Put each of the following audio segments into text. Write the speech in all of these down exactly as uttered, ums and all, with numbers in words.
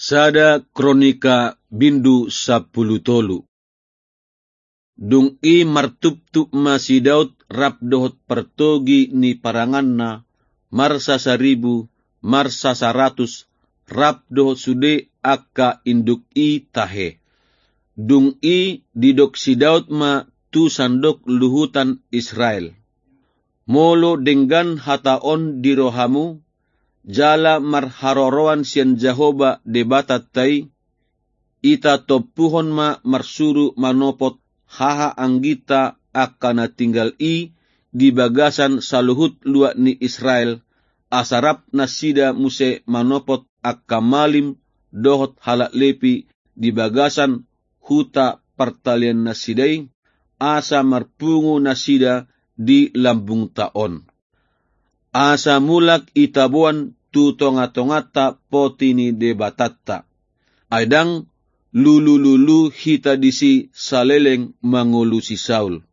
Sada Kronika bindu sampulu tolu. Dung i martuptup ma si Daud rap dohot partogi ni paranganna, marsasaribu, marsasaratus, rap dohot sude angka induk i tahe. Dung i didok si Daud ma tu sandok luhutan Israel: Molo denggan hata on di rohamu, jala marharoroan sian Jahowa Debatanta i, ita tompuhon ma marsuru manopot haha angginta angka na tinggal i di bagasan saluhut luat ni Israel, asa rap nasida muse manopot angka malim dohot halak Lepi di bagasan huta partaliannasida i, asa marpungu nasida di lambungta on. Asa mulak itaboan tu tongatonganta poti ni Debatanta. Ai ndang lulululu hita disi saleleng mangolu si Saul.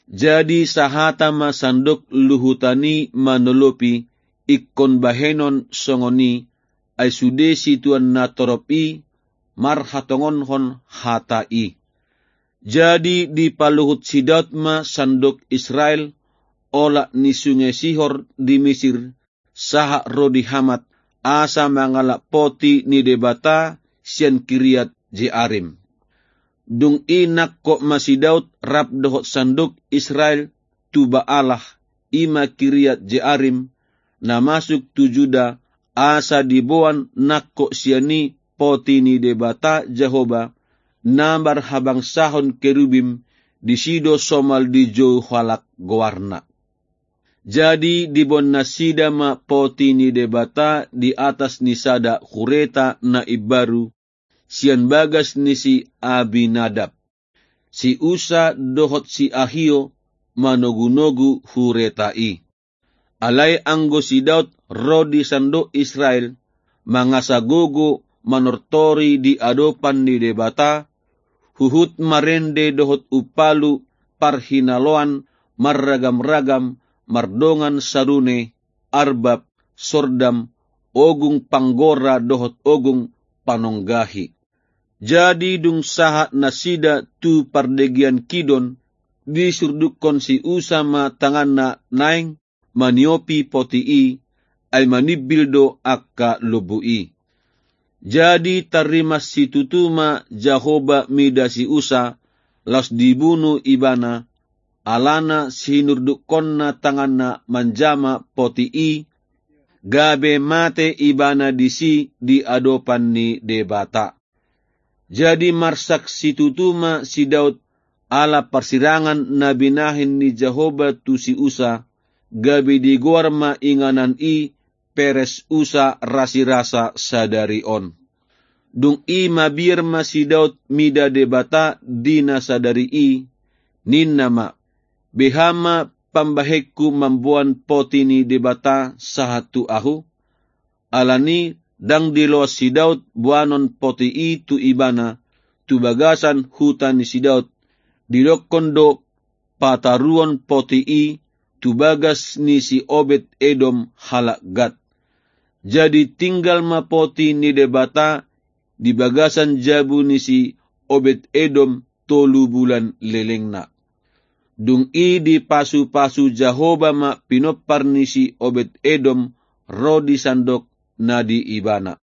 Jadi sahata ma sandok luhutan i manolopi ingkon bahenon songon i, ai sude situan na torop i marhatongonkon hata i. Jadi dipaluhut si Daud ma sandok Israel olat ni sunge Sihor di Misir, sahat ro di Hamat, asa mangalap poti ni Debata sian Kiriat Jearim. Dung i nangkok ma si Daud rap dohot sandok Israel tu Baalah, i ma Kiriat Jearim, na masuk tu Juda, asa diboan nangkok sian i poti ni Debata Jahowa, na marhabangsahon kerubim, disi do somal dijou halak goarna. Jadi diboan nasida ma poti ni Debata di atas ni sada hureta na imbaru, sian bagas ni si Abinadab. Si Usa dohot si Ahio manogunogu hureta i. Alai anggo si Daud ro di sandok Israel, mangasa gogo manortori di adopan ni Debata, huhut marende dohot umpalu parhinaloan marragamragam, mardongan sarune, arbab, sordam, ogung panggora dohot ogung panonggahi. Jadi dung sahat nasida tu pardegean Kidon, disurdukkon si Usa ma tanganna naeng maniopi poti i, ai manimbil do angka lombu i. Jadi tarrimas situtu ma Jahowa mida si Usa, laos dibunu ibana, alana sinurdukkonna tanganna manjama poti i, gabe mate ibana disi di adopan ni Debata. Jadi marsak situtu ma si Daud ala parsirangan na binahen ni Jahowa tu si Usa, gabe digoar ma inganan i Peres Usa rasirasa sadari on. Dung i mabiar ma si Daud mida Debata di na sadari i, ninna ma: Beha ma pambahenku mamboan poti ni Debata sahat tu ahu? Alani ndang diloas si Daud boanon poti i tu ibana, tu bagasan huta ni si Daud, didokkon do pataruon poti i tu bagas ni si Obed Edom halak Gat. Jadi tinggal ma poti ni Debata di bagasan jabu ni si Obed Edom tolu bulan lelengna. Dung i dipasupasu Jahowa ma pinompar ni si Obed Edom ro di sandok na di ibana.